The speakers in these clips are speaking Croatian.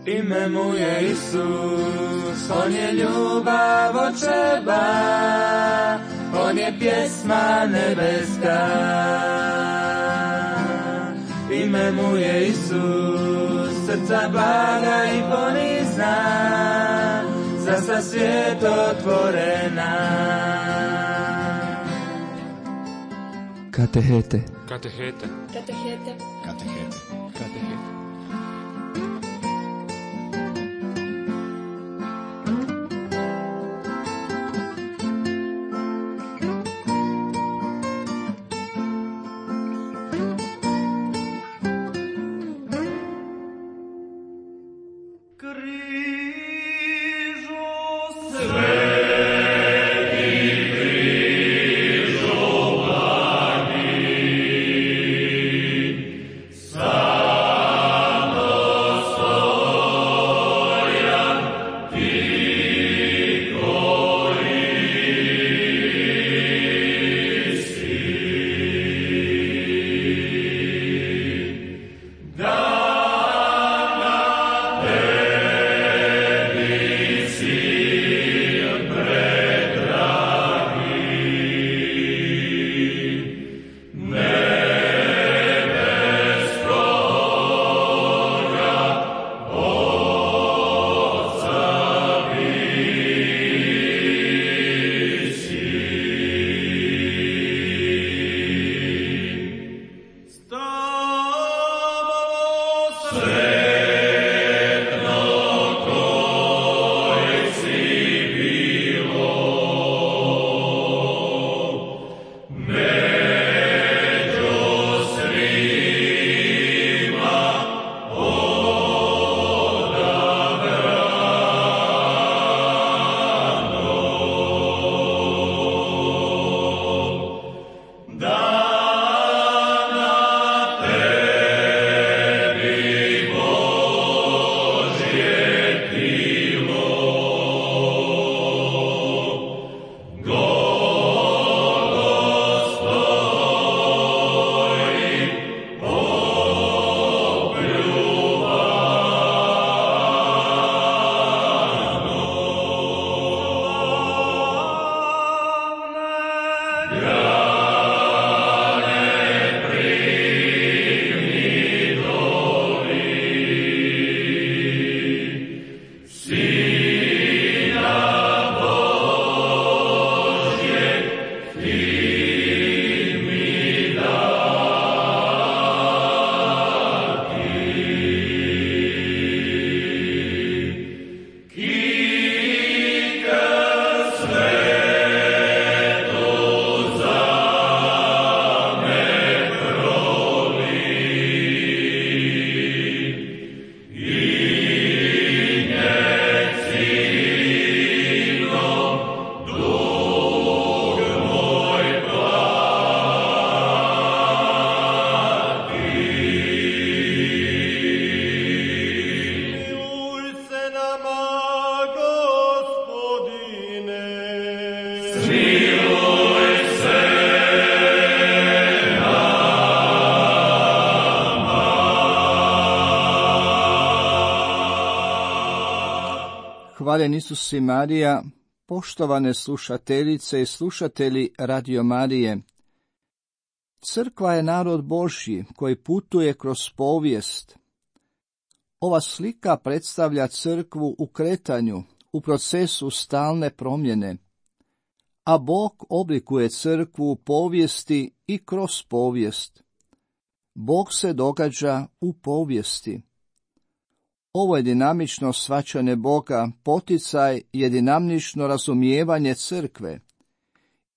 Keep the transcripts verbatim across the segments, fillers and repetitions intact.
Ime mu je Isus, on je ljubav očeva, on je pjesma nebeska. Ime mu je Isus, srca blaga i ponizna, za sa svijet otvorena. Katehete. Katehete. Katehete. Katehete. Katehete. Hvaljen Isus i Marija, poštovane slušateljice i slušatelji Radio Marije. Crkva je narod Božji koji putuje kroz povijest. Ova slika predstavlja crkvu u kretanju, u procesu stalne promjene, a Bog oblikuje crkvu u povijesti i kroz povijest. Bog se događa u povijesti. Ovo je dinamično shvaćanje Boga, poticaj je dinamično razumijevanje crkve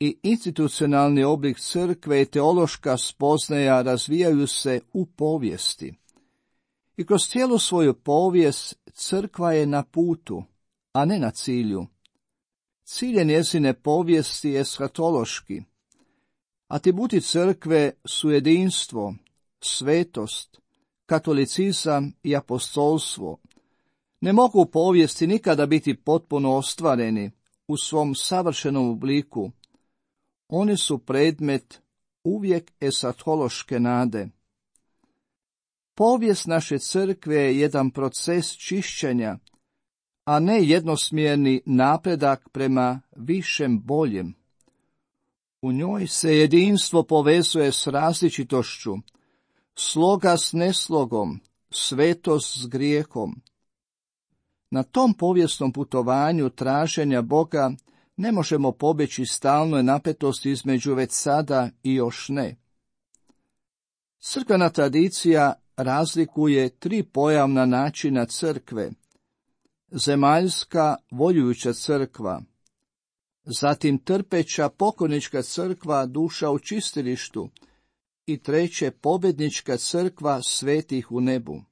i institucionalni oblik crkve i teološka spoznaja razvijaju se u povijesti. I kroz cijelu svoju povijest crkva je na putu, a ne na cilju. Cilj njezine povijesti je eshatološki. Atributi crkve su jedinstvo, svetost, katolicizam i apostolstvo. Ne mogu u povijesti nikada biti potpuno ostvareni u svom savršenom obliku. Oni su predmet uvijek eshatološke nade. Povijest naše crkve je jedan proces čišćenja, a ne jednosmjerni napredak prema višem boljem. U njoj se jedinstvo povezuje s različitošću, sloga s neslogom, svetost s grijehom. Na tom povijesnom putovanju traženja Boga ne možemo pobjeći stalnoj napetosti između već sada i još ne. Crkvena tradicija razlikuje tri pojavna načina crkve: zemaljska voljujuća crkva, zatim trpeća pokornička crkva duša u čistilištu i treće pobjednička crkva svetih u nebu.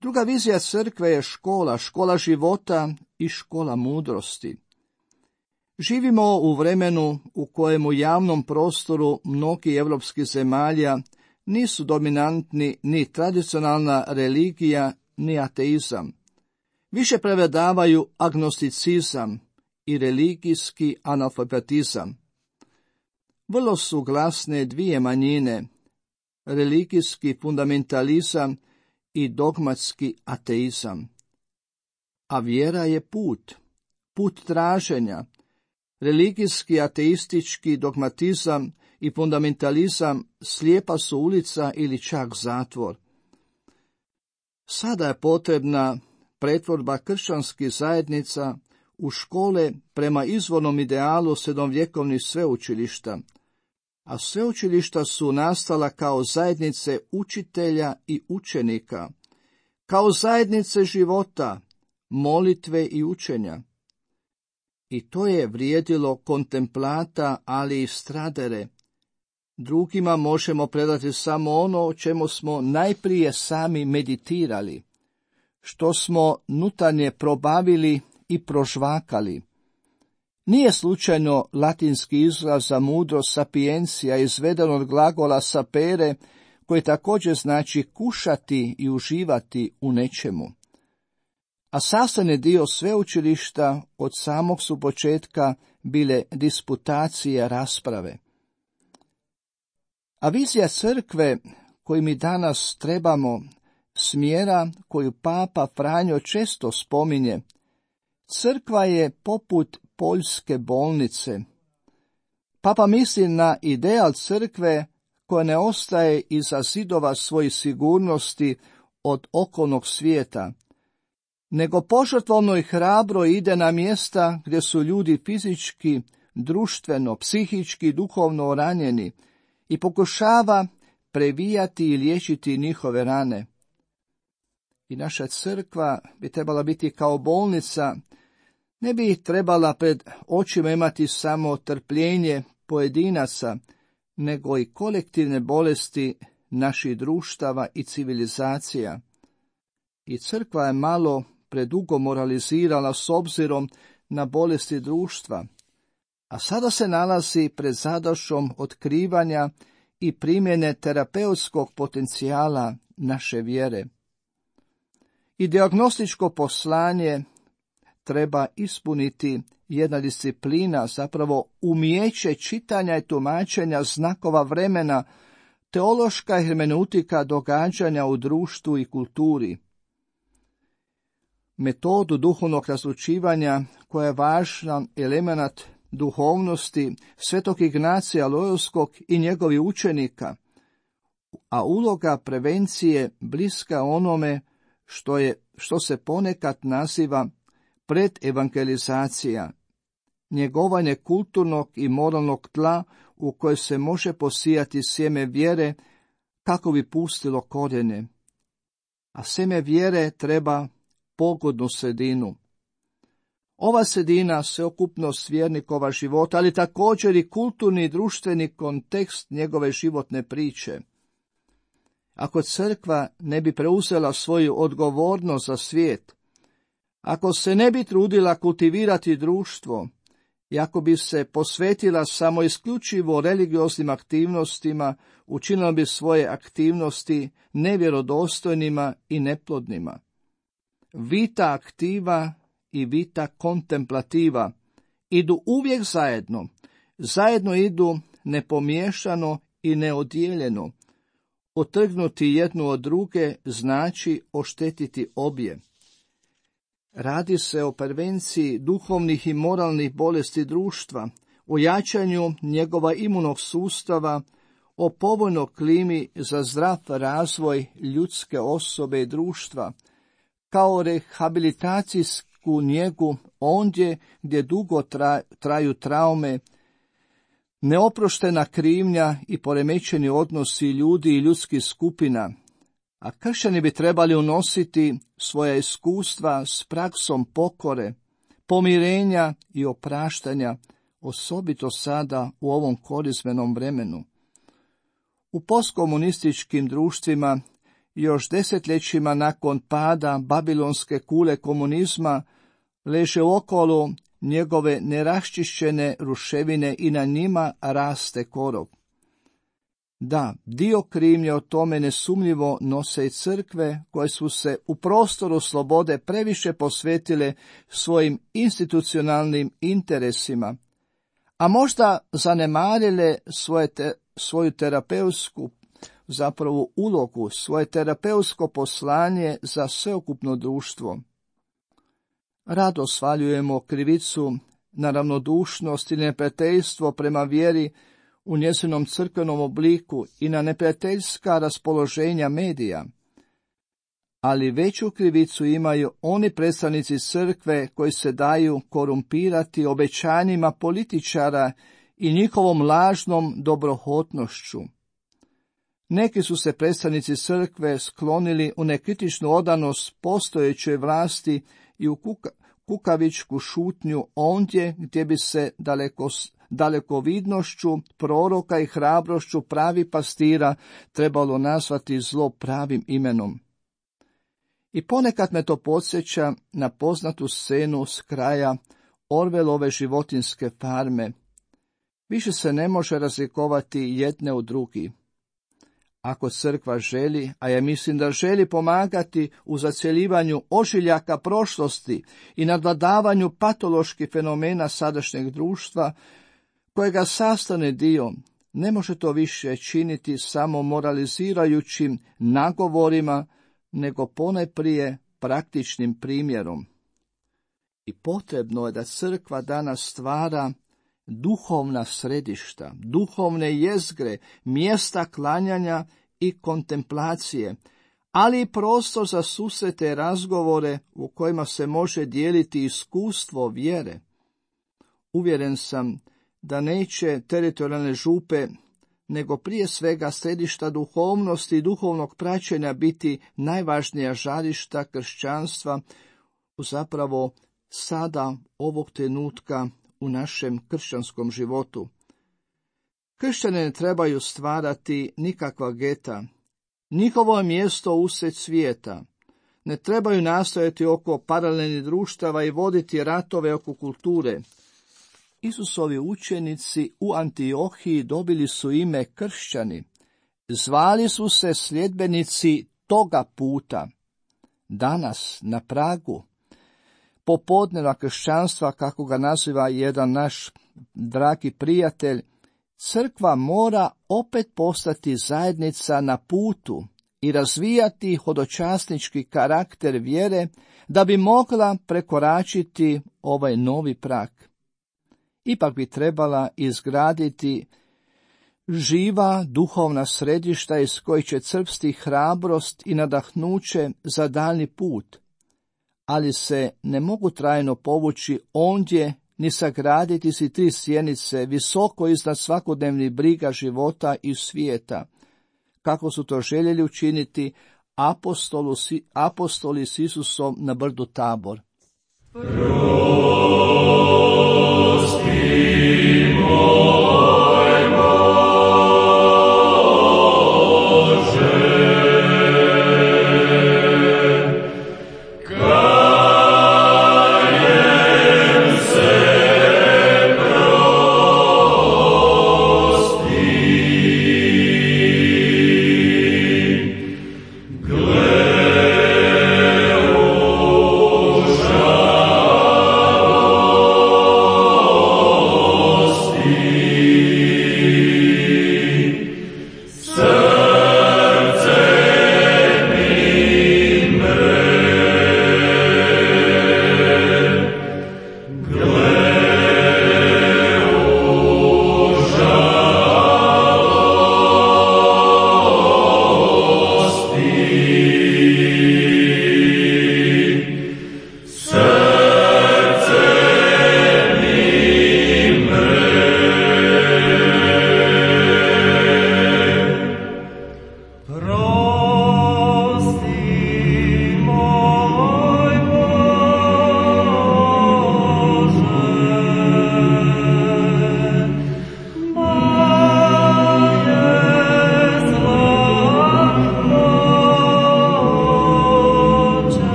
Druga vizija crkve je škola, škola života i škola mudrosti. Živimo u vremenu u kojem u javnom prostoru mnogi evropskih zemalja nisu dominantni ni tradicionalna religija, ni ateizam. Više prevladavaju agnosticizam i religijski analfabetizam. Vrlo su glasne dvije manjine, religijski fundamentalizam i dogmatski ateizam. A vjera je put, put traženja. Religijski, ateistički dogmatizam i fundamentalizam slijepa su ulica ili čak zatvor. Sada je potrebna pretvorba kršćanskih zajednica u škole prema izvornom idealu srednjovjekovnih sveučilišta, a sveučilišta su nastala kao zajednice učitelja i učenika, kao zajednice života, molitve i učenja. I to je vrijedilo kontemplata, ali i stradere. Drugima možemo predati samo ono o čemu smo najprije sami meditirali, što smo nutarnje probavili i prožvakali. Nije slučajno latinski izraz za mudro sapiencija izveden od glagola sapere, koji također znači kušati i uživati u nečemu. A sastavni dio sveučilišta od samog su početka bile disputacije, rasprave. A vizija crkve koju mi danas trebamo, smjera koju papa Franjo često spominje, crkva je poput poljske bolnice. Papa misli na ideal crkve koja ne ostaje iza zidova svojih sigurnosti od okolnog svijeta, nego požrtvovno i hrabro ide na mjesta gdje su ljudi fizički, društveno, psihički i duhovno ranjeni i pokušava previjati i liječiti njihove rane. I naša crkva bi trebala biti kao bolnica, ne bi trebala pred očima imati samo trpljenje pojedinaca, nego i kolektivne bolesti naših društava i civilizacija. I crkva je malo predugo moralizirala s obzirom na bolesti društva, a sada se nalazi pred zadaćom otkrivanja i primjene terapeutskog potencijala naše vjere. I dijagnostičko poslanje treba ispuniti jedna disciplina, zapravo umijeće čitanja i tumačenja znakova vremena, teološka hermeneutika događanja u društvu i kulturi. Metodu duhovnog razlučivanja, koja je važan element duhovnosti svetog Ignacija Lojolskog i njegovih učenika, a uloga prevencije bliska onome što je, što se ponekad naziva predevangelizacija, njegovanje kulturnog i moralnog tla u koje se može posijati sjeme vjere kako bi pustilo korijene. A sjeme vjere treba pogodnu sredinu. Ova sredina, sveokupnost vjernikova života, ali također i kulturni i društveni kontekst njegove životne priče. Ako crkva ne bi preuzela svoju odgovornost za svijet, ako se ne bi trudila kultivirati društvo i ako bi se posvetila samo isključivo religioznim aktivnostima, učinila bi svoje aktivnosti nevjerodostojnima i neplodnima. Vita aktiva i vita kontemplativa idu uvijek zajedno, zajedno idu nepomiješano i neodijeljeno. Otrgnuti jednu od druge znači oštetiti obje. Radi se o prevenciji duhovnih i moralnih bolesti društva, o jačanju njegova imunog sustava, o povoljnoj klimi za zdrav razvoj ljudske osobe i društva, kao rehabilitacijsku njegu ondje gdje dugo traju traume, neoproštena krivnja i poremećeni odnosi ljudi i ljudskih skupina, a kršćani bi trebali unositi svoja iskustva s praksom pokore, pomirenja i opraštanja, osobito sada u ovom korizmenom vremenu. U postkomunističkim društvima, još desetljećima nakon pada babilonske kule komunizma, leže okolo njegove neraščišćene ruševine i na njima raste korov. Da, dio krivnje o tome nesumnjivo nose i crkve koje su se u prostoru slobode previše posvetile svojim institucionalnim interesima, a možda zanemarile svoje te, svoju terapeutsku zapravo ulogu, svoje terapeutsko poslanje za sveukupno društvo. Rado svaljujemo krivicu na ravnodušnost i neprijateljstvo prema vjeri u njezinom crkvenom obliku i na neprijateljska raspoloženja medija. Ali veću krivicu imaju oni predstavnici crkve koji se daju korumpirati obećanjima političara i njihovom lažnom dobrohotnošću. Neki su se predstavnici crkve sklonili u nekritičnu odanost postojećoj vlasti i u kuka, kukavičku šutnju ondje gdje bi se daleko, dalekovidnošću proroka i hrabrošću pravi pastira trebalo nazvati zlo pravim imenom. I ponekad me to podsjeća na poznatu scenu s kraja Orwellove životinjske farme. Više se ne može razlikovati jedne od drugi. Ako crkva želi, a ja mislim da želi pomagati u zacjeljivanju ožiljaka prošlosti i nadvladavanju patoloških fenomena sadašnjeg društva, kojega sastavni dio, ne može to više činiti samo moralizirajućim nagovorima, nego ponajprije praktičnim primjerom. I potrebno je da crkva danas stvara duhovna središta, duhovne jezgre, mjesta klanjanja i kontemplacije, ali i prostor za susrete i razgovore u kojima se može dijeliti iskustvo vjere. Uvjeren sam da neće teritorijalne župe, nego prije svega središta duhovnosti i duhovnog praćenja biti najvažnija žarišta kršćanstva u zapravo sada ovog trenutka u našem kršćanskom životu. Kršćani ne trebaju stvarati nikakva geta. Njihovo je mjesto usred svijeta. Ne trebaju nastojati oko paralelnih društava i voditi ratove oko kulture. Isusovi učenici u Antiohiji dobili su ime kršćani. Zvali su se sljedbenici toga puta. Danas, na pragu popodneva kršćanstva, kako ga naziva jedan naš dragi prijatelj, crkva mora opet postati zajednica na putu i razvijati hodočasnički karakter vjere da bi mogla prekoračiti ovaj novi prag. Ipak bi trebala izgraditi živa duhovna središta iz kojih će crpsti hrabrost i nadahnuće za daljni put, ali se ne mogu trajno povući ondje ni sagraditi si tri sjenice visoko iznad svakodnevnih briga života i svijeta, kako su to željeli učiniti apostolu, apostoli s Isusom na brdu Tabor. Gled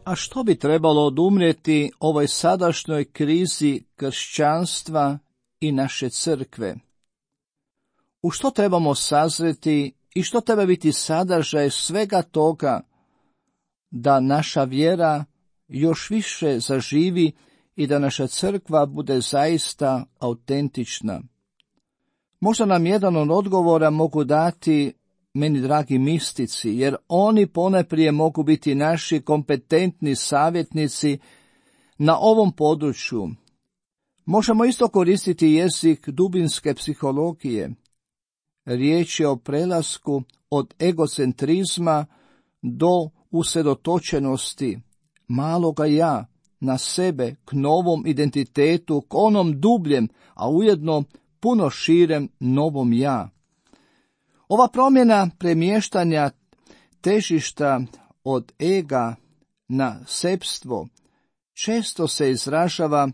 A što bi trebalo odumrijeti ovoj sadašnjoj krizi kršćanstva i naše crkve? U što trebamo sazreti i što treba biti sadržaj svega toga da naša vjera još više zaživi i da naša crkva bude zaista autentična? Možda nam jedan od odgovora mogu dati meni dragi mistici, jer oni ponajprije mogu biti naši kompetentni savjetnici na ovom području. Možemo isto koristiti jezik dubinske psihologije. Riječ je o prelasku od egocentrizma do usredotočenosti maloga ja na sebe, k novom identitetu, k onom dubljem, a ujedno puno širem novom ja. Ova promjena premještanja težišta od ega na sebstvo često se izražava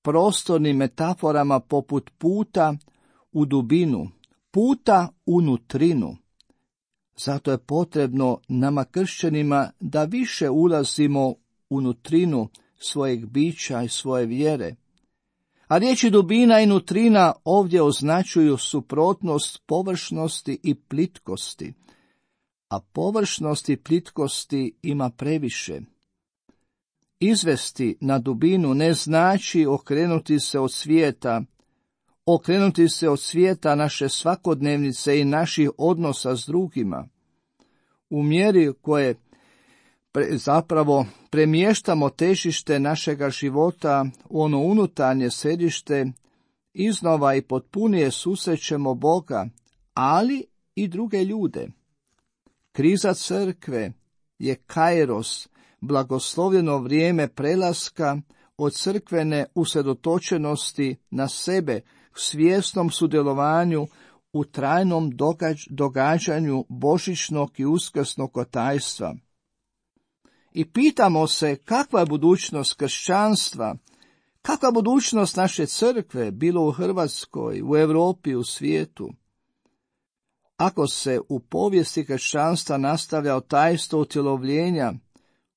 prostornim metaforama poput puta u dubinu, puta u nutrinu. Zato je potrebno nama kršćanima da više ulazimo u nutrinu svojeg bića i svoje vjere. A riječi dubina i nutrina ovdje označuju suprotnost površnosti i plitkosti, a površnosti i plitkosti ima previše. Izvesti na dubinu ne znači okrenuti se od svijeta, okrenuti se od svijeta naše svakodnevnice i naših odnosa s drugima. U mjeri koje pre, zapravo premještamo težište našega života u ono unutarnje središte, iznova i potpunije susrećemo Boga, ali i druge ljude. Kriza crkve je kairos, blagoslovljeno vrijeme prelaska od crkvene usredotočenosti na sebe, svjesnom sudjelovanju u trajnom događ, događanju božićnog i uskrsnog otajstva. I pitamo se kakva je budućnost kršćanstva, kakva je budućnost naše crkve, bilo u Hrvatskoj, u Europi, u svijetu. Ako se u povijesti kršćanstva nastavlja otajstvo utjelovljenja,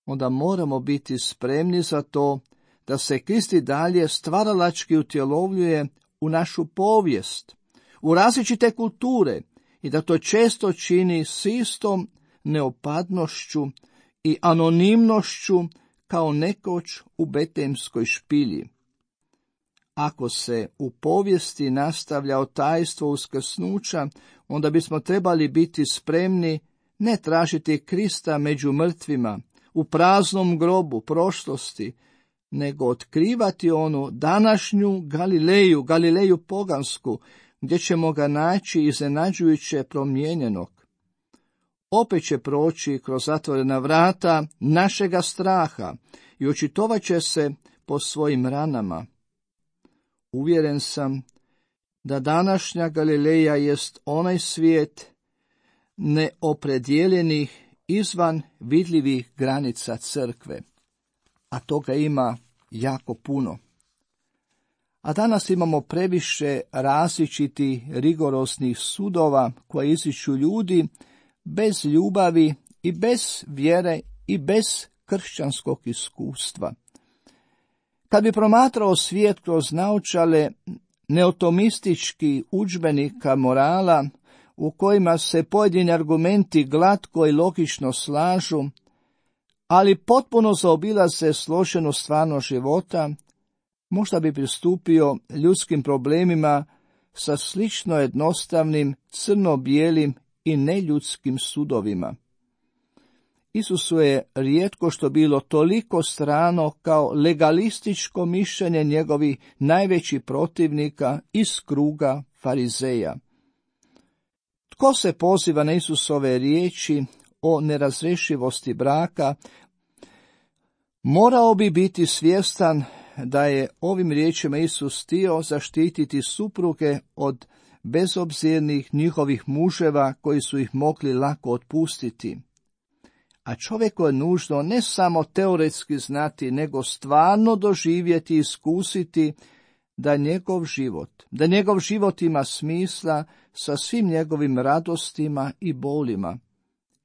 onda moramo biti spremni za to da se Krist i dalje stvaralački utjelovljuje u našu povijest, u različite kulture i da to često čini s istom neopadnošću i anonimnošću kao nekoć u Betlejemskoj špilji. Ako se u povijesti nastavlja otajstvo uskrsnuća, onda bismo trebali biti spremni ne tražiti Krista među mrtvima, u praznom grobu prošlosti, nego otkrivati onu današnju Galileju, Galileju pogansku, gdje ćemo ga naći iznenađujuće promijenjenog. Opet će proći kroz zatvorena vrata našega straha i očitovat će se po svojim ranama. Uvjeren sam da današnja Galileja jest onaj svijet neopredjeljenih izvan vidljivih granica crkve, a toga ima jako puno. A danas imamo previše različitih rigoroznih sudova koje izriču ljudi bez ljubavi i bez vjere i bez kršćanskog iskustva. Kad bi promatrao svijet kroz naočale neotomistički udžbenika morala, u kojima se pojedini argumenti glatko i logično slažu, ali potpuno zaobilaze složenu stvarnost života, možda bi pristupio ljudskim problemima sa slično jednostavnim, crno-bijelim i neljudskim sudovima. Isusu je rijetko što bilo toliko strano kao legalističko mišljenje njegovih najvećih protivnika iz kruga farizeja. Tko se poziva na Isusove riječi o nerazrešivosti braka, morao bi biti svjestan da je ovim riječima Isus htio zaštititi supruge od bezobzirnih njihovih muževa koji su ih mogli lako otpustiti. A čovjeku je nužno ne samo teoretski znati, nego stvarno doživjeti i iskusiti da njegov život, da njegov život ima smisla sa svim njegovim radostima i bolima.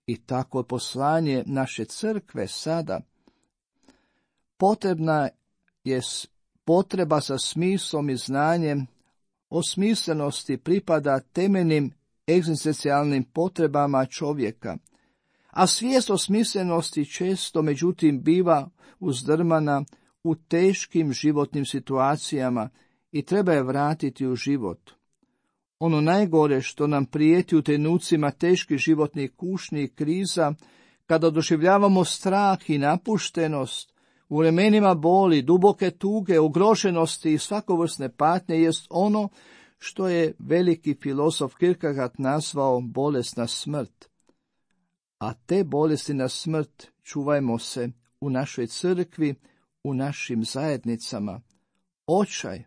I tako je poslanje naše crkve sada. Potrebna je potreba za smislom i znanjem, osmislenosti pripada temeljnim egzistencijalnim potrebama čovjeka, a svijest o smislenosti često, međutim, biva uzdrmana u teškim životnim situacijama i treba je vratiti u život. Ono najgore što nam prijeti u trenucima teških životnih kušnji i kriza, kada doživljavamo strah i napuštenost, u vremenima boli, duboke tuge, ugroženosti i svakovrsne patnje, jest ono što je veliki filozof Kierkegaard nazvao bolesna smrt. A te bolesti na smrt čuvajmo se u našoj crkvi, u našim zajednicama. Očaj,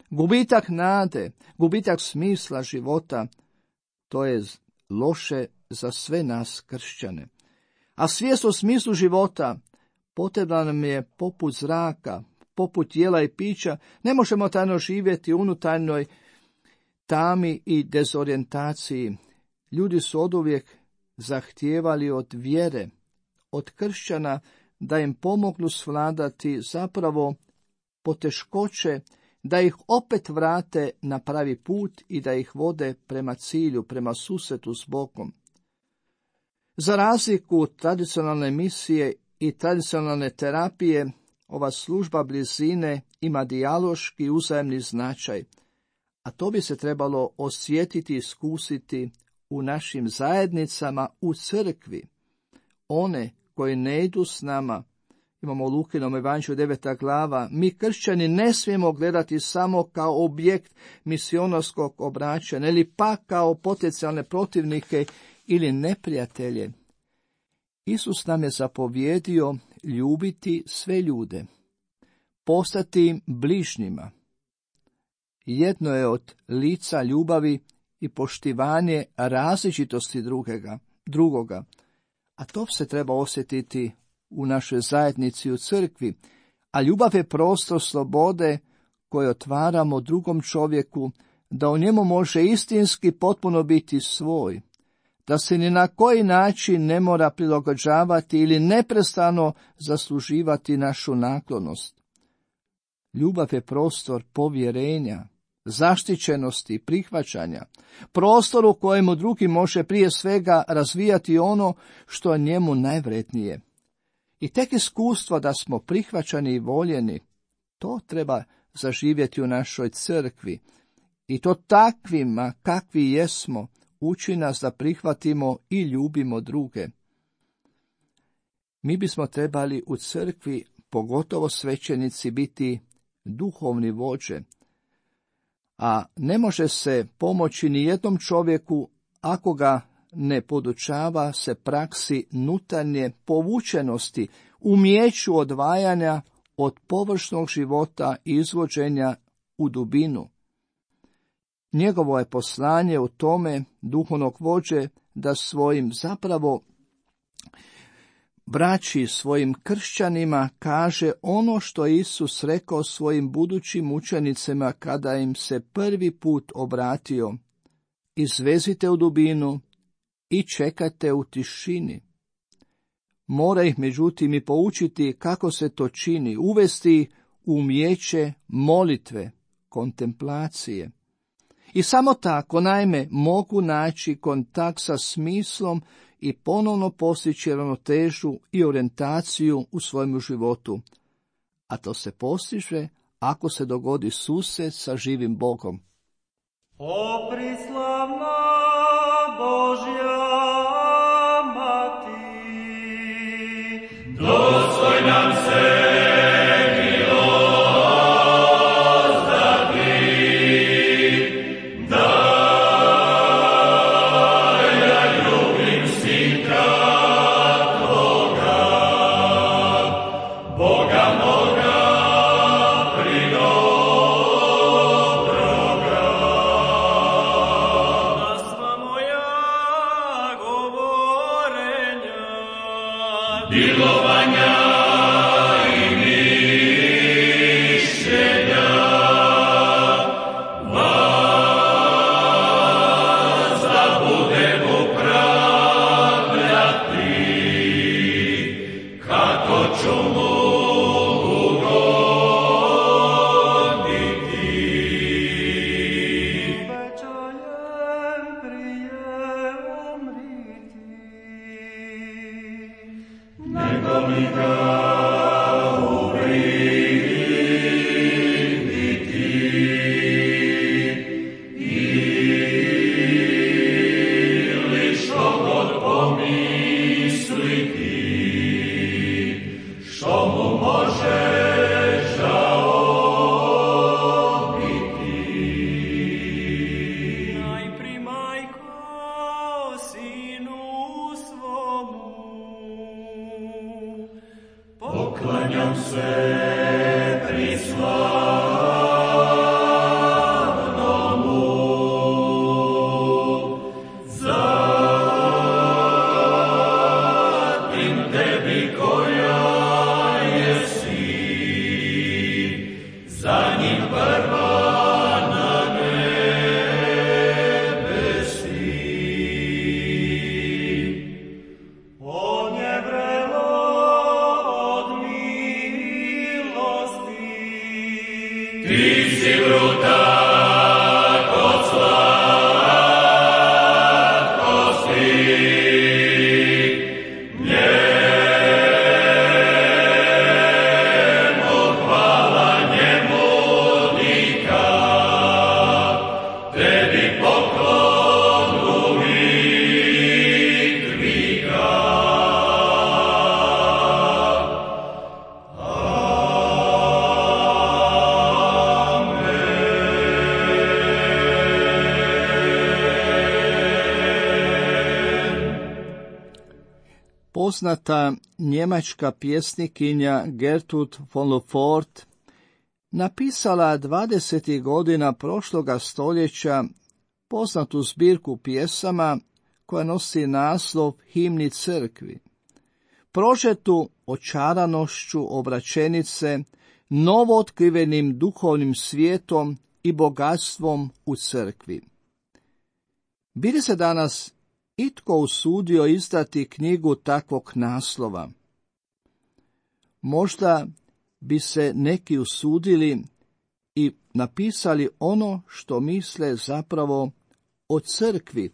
gubitak nade, gubitak smisla života, to je loše za sve nas kršćane. A svijest o smislu života potrebna nam je poput zraka, poput jela i pića. Ne možemo tajno živjeti u unutarnjoj tami i dezorijentaciji. Ljudi su oduvijek zahtijevali od vjere, od kršćana, da im pomognu svladati zapravo poteškoće, da ih opet vrate na pravi put i da ih vode prema cilju, prema susretu s Bogom. Za razliku od tradicionalne misije i tradicionalne terapije, ova služba blizine ima dijaloški uzajemni značaj, a to bi se trebalo osjetiti i iskusiti u našim zajednicama, u crkvi. One koji ne idu s nama, imamo u Lukinom evanđelju deveta glava, mi kršćani ne smijemo gledati samo kao objekt misionarskog obraćanja ili pa kao potencijalne protivnike ili neprijatelje. Isus nam je zapovjedio ljubiti sve ljude, postati im bližnjima. Jedno je od lica ljubavi i poštivanje različitosti drugega, drugoga, a to se treba osjetiti u našoj zajednici, u crkvi, a ljubav je prostor slobode koje otvaramo drugom čovjeku, da u njemu može istinski potpuno biti svoj, da se ni na koji način ne mora prilagođavati ili neprestano zasluživati našu naklonost. Ljubav je prostor povjerenja, zaštićenosti i prihvaćanja, prostor u kojemu drugi može prije svega razvijati ono što je njemu najvrednije. I tek iskustvo da smo prihvaćani i voljeni, to treba zaživjeti u našoj crkvi. I to takvima kakvi jesmo, uči nas da prihvatimo i ljubimo druge. Mi bismo trebali u crkvi, pogotovo svećenici, biti duhovni vođe, a ne može se pomoći ni jednom čovjeku ako ga ne podučava se praksi nutarnje povučenosti, umijeću odvajanja od površnog života i izvođenja u dubinu. Njegovo je poslanje u tome duhovnog vođe da svojim zapravo braći, svojim kršćanima kaže ono što je Isus rekao svojim budućim učenicima kada im se prvi put obratio: izvezite u dubinu i čekajte u tišini. Mora ih međutim i poučiti kako se to čini, uvesti u umijeće molitve, kontemplacije. I samo tako, naime, mogu naći kontakt sa smislom i ponovno postići ravnotežu i orijentaciju u svojemu životu. A to se postiže ako se dogodi susret sa živim Bogom. O prislavna Božja Mati, dostoj nam se komu može žao biti. Najpri majko sinu svomu, poklanjam se prislavnomu, zatim tebi koja jesi, za njim prva na nebesi. On je vrelo od milosti, ti si vrutak od slatkosti, njemu hvala, njemu nika, tebi poklon uvijek vika. Poznata njemačka pjesnikinja Gertrud von Lefort napisala dvadesetih godina prošloga stoljeća poznatu zbirku pjesama koja nosi naslov Himni crkvi. Prožetu očaranošću obraćenice, novootkrivenim duhovnim svijetom i bogatstvom u crkvi. Bi li se danas itko usudio izdati knjigu takvog naslova? Možda bi se neki usudili i napisali ono što misle zapravo o crkvi,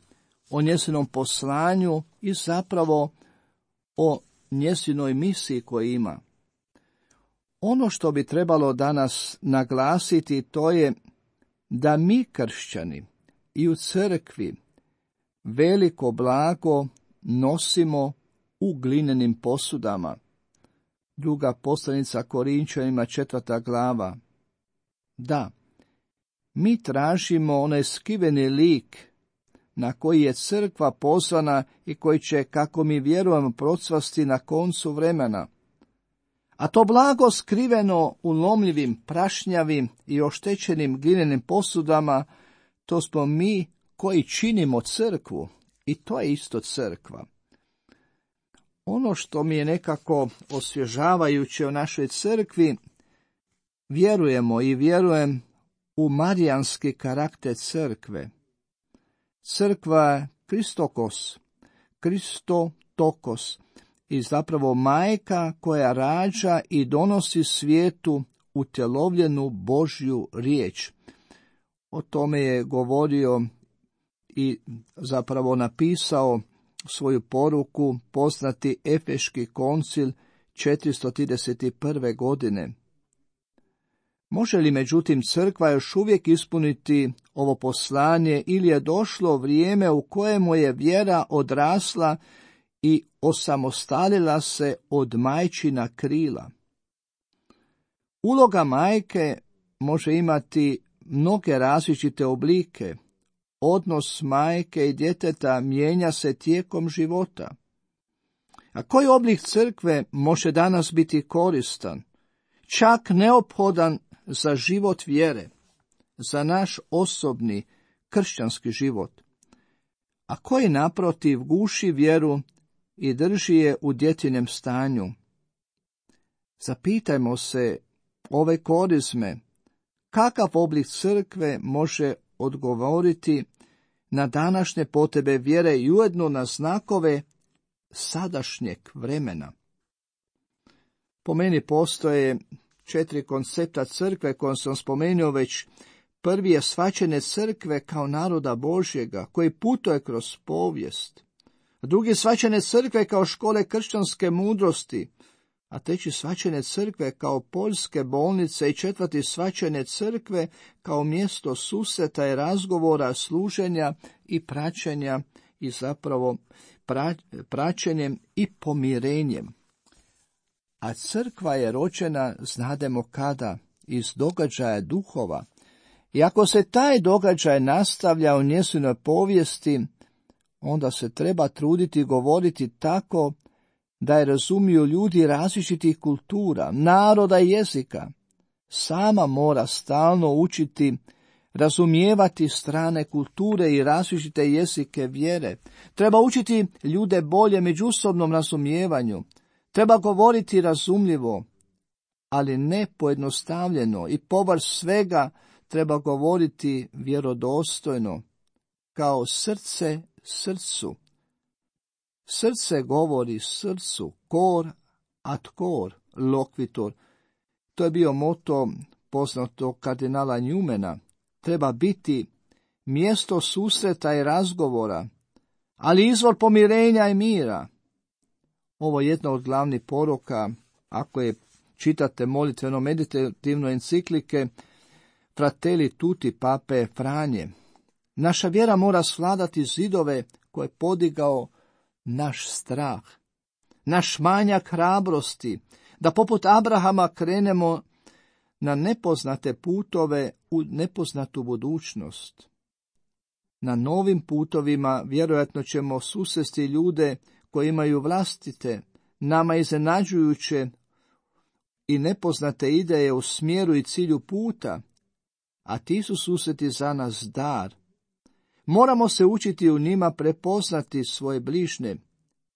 o njezinom poslanju i zapravo o njezinoj misiji koju ima. Ono što bi trebalo danas naglasiti to je da mi kršćani i u crkvi veliko blago nosimo u glinenim posudama. Druga poslanica Korinčanima, četvrta glava. Da, mi tražimo onaj skriveni lik na koji je crkva poslana i koji će, kako mi vjerujemo, procvasti na koncu vremena. A to blago skriveno u lomljivim, prašnjavim i oštećenim glinenim posudama, to smo mi koji činimo crkvu, i to je isto crkva. Ono što mi je nekako osvježavajuće u našoj crkvi, vjerujemo i vjerujem u marijanski karakter crkve. Crkva je Kristokos, Kristotokos, i zapravo majka koja rađa i donosi svijetu utjelovljenu Božju riječ. O tome je govorio i zapravo napisao svoju poruku poznati Efeški koncil četiristo trideset prve. godine. Može li međutim crkva još uvijek ispuniti ovo poslanje ili je došlo vrijeme u kojemu je vjera odrasla i osamostalila se od majčina krila? Uloga majke može imati mnoge različite oblike. Odnos majke i djeteta mijenja se tijekom života. A koji oblik crkve može danas biti koristan, čak neophodan za život vjere, za naš osobni kršćanski život, a koji naprotiv guši vjeru i drži je u djetinem stanju? Zapitajmo se ove korizme, kakav oblik crkve može odgovoriti na današnje potrebe vjere i ujedno na znakove sadašnjeg vremena. Po meni postoje četiri koncepta crkve koje sam spomenuo već. Prvi je shvaćanje crkve kao naroda Božjega koji putuje kroz povijest. Drugi shvaćanje crkve kao škole kršćanske mudrosti, a treći shvaćanje crkve kao poljske bolnice i četvrti shvaćanje crkve kao mjesto susreta i razgovora, služenja i praćenja i zapravo pra, praćenjem i pomirenjem. a crkva je rođena, znademo kada, iz događaja duhova. I ako se taj događaj nastavlja u njezinoj povijesti, onda se treba truditi govoriti tako da je razumiju ljudi različitih kultura, naroda i jezika. Sama mora stalno učiti razumijevati strane kulture i različite jezike vjere. Treba učiti ljude bolje međusobnom razumijevanju. Treba govoriti razumljivo, ali ne pojednostavljeno, i povrh svega treba govoriti vjerodostojno, kao srce srcu. Srce govori srcu, cor ad cor loquitur. To je bio moto poznatog kardinala Newmana. Treba biti mjesto susreta i razgovora, ali izvor pomirenja i mira. Ovo je jedna od glavnih poruka, ako je čitate molitveno meditativno enciklike Fratelli Tutti pape Franje. Naša vjera mora svladati zidove koje je podigao naš strah, naš manjak hrabrosti, da poput Abrahama krenemo na nepoznate putove u nepoznatu budućnost. Na novim putovima vjerojatno ćemo susresti ljude koji imaju vlastite, nama iznenađujuće i nepoznate ideje u smjeru i cilju puta, a ti su susreti za nas dar. Moramo se učiti u njima prepoznati svoje bližnje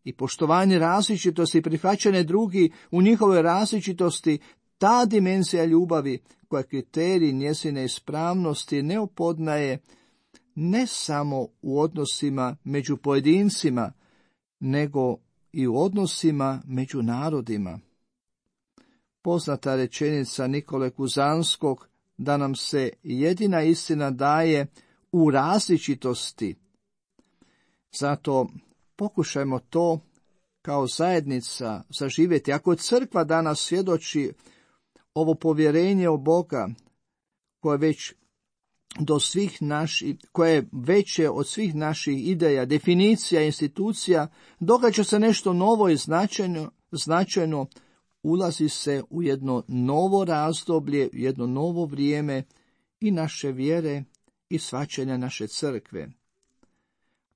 i poštovanje različitosti i prihvaćanje drugi u njihovoj različitosti, ta dimenzija ljubavi koja kriterij njezine ispravnosti ne opoznaje ne samo u odnosima među pojedincima, nego i u odnosima među narodima. Poznata rečenica Nikole Kuzanskog da nam se jedina istina daje u različitosti. Zato pokušajmo to kao zajednica zaživjeti. Ako crkva danas svjedoči ovo povjerenje u Boga, koje već do svih naših, koje je veće od svih naših ideja, definicija, institucija, događa se nešto novo i značajno, značajno ulazi se u jedno novo razdoblje, jedno novo vrijeme i naše vjere i shvaćanja naše crkve.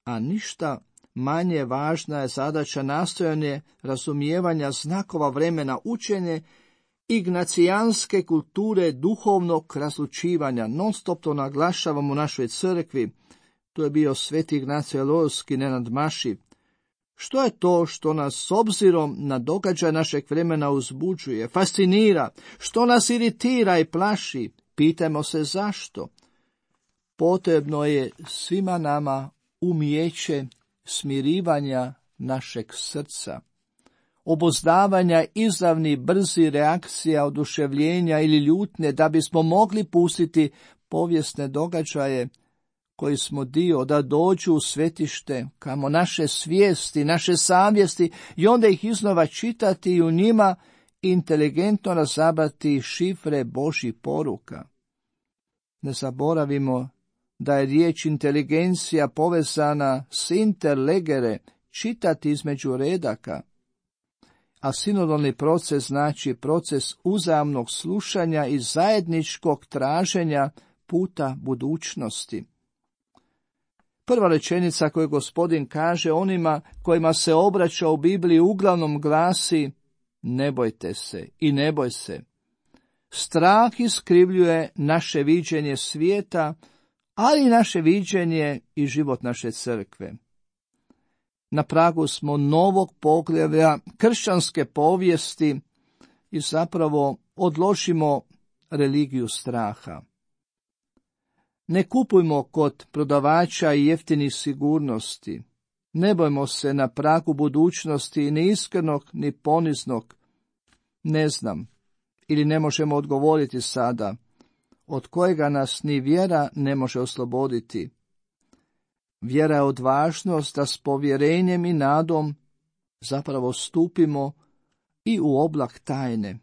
A ništa manje važna je zadaća nastojanje razumijevanja znakova vremena, učenje ignacijanske kulture duhovnog razlučivanja. Non stop to naglašavamo u našoj crkvi. To je bio sveti Ignacije Loyolski nenadmašiv. Što je to što nas s obzirom na događaj našeg vremena uzbuđuje, fascinira, što nas iritira i plaši? Pitajmo se zašto. Potrebno je svima nama umijeće smirivanja našeg srca, obuzdavanja izravnih brzi reakcija, oduševljenja ili ljutnje, da bismo mogli pustiti povijesne događaje koji smo dio, da dođu u svetište, kamo naše svijesti, naše savjesti, i onda ih iznova čitati i u njima inteligentno razabrati šifre Božjih poruka. Ne zaboravimo da je riječ inteligencija povezana s interlegere, čitati između redaka, a sinodalni proces znači proces uzajamnog slušanja i zajedničkog traženja puta budućnosti. Prva rečenica koju Gospodin kaže onima kojima se obraća u Bibliji uglavnom glasi: ne bojte se i ne boj se. Strah iskrivljuje naše viđenje svijeta, ali i naše viđenje i život naše crkve. Na pragu smo novog poglavlja kršćanske povijesti i zapravo odložimo religiju straha. Ne kupujmo kod prodavača i jeftinih sigurnosti. Ne bojmo se na pragu budućnosti ni iskrenog ni poniznog. Ne znam ili ne možemo odgovoriti sada, od kojega nas ni vjera ne može osloboditi. Vjera je odvažnost da s povjerenjem i nadom zapravo stupimo i u oblak tajne.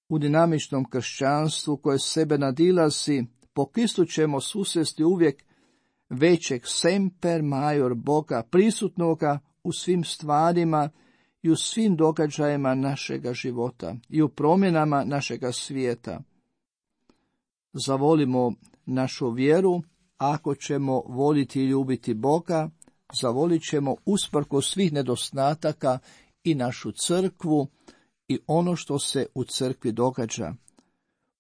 U dinamičnom kršćanstvu koje sebe nadilazi, po Kristu ćemo susresti uvijek većeg semper major Boga, prisutnoga u svim stvarima i u svim događajima našega života i u promjenama našega svijeta. Zavolimo našu vjeru, ako ćemo voliti i ljubiti Boga, zavolit ćemo usprkos svih nedostataka i našu crkvu i ono što se u crkvi događa.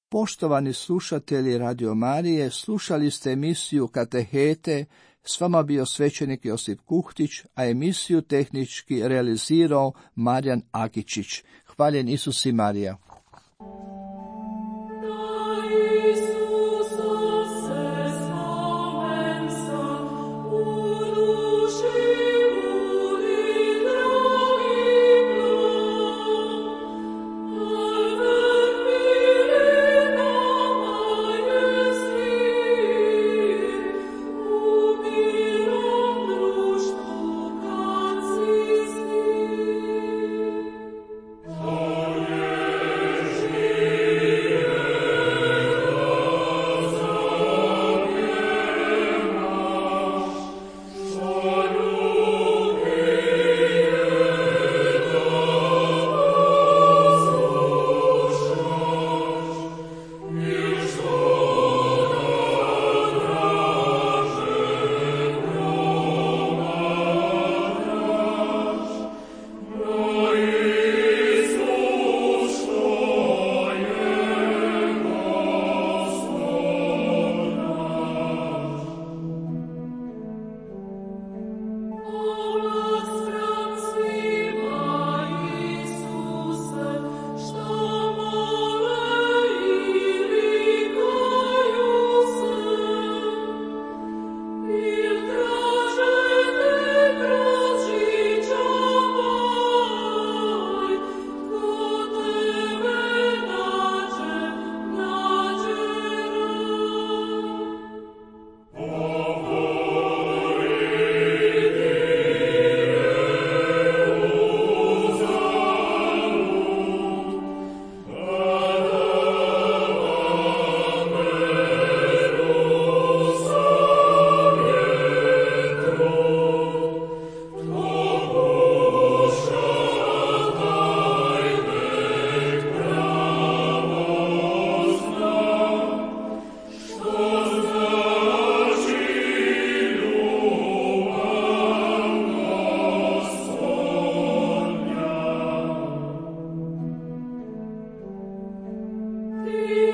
Poštovani slušatelji Radio Marije, slušali ste emisiju Katehete, s vama bio svećenik Josip Kuhtić, a emisiju tehnički realizirao Marijan Agičić. Hvaljen Isus i Marija. Ti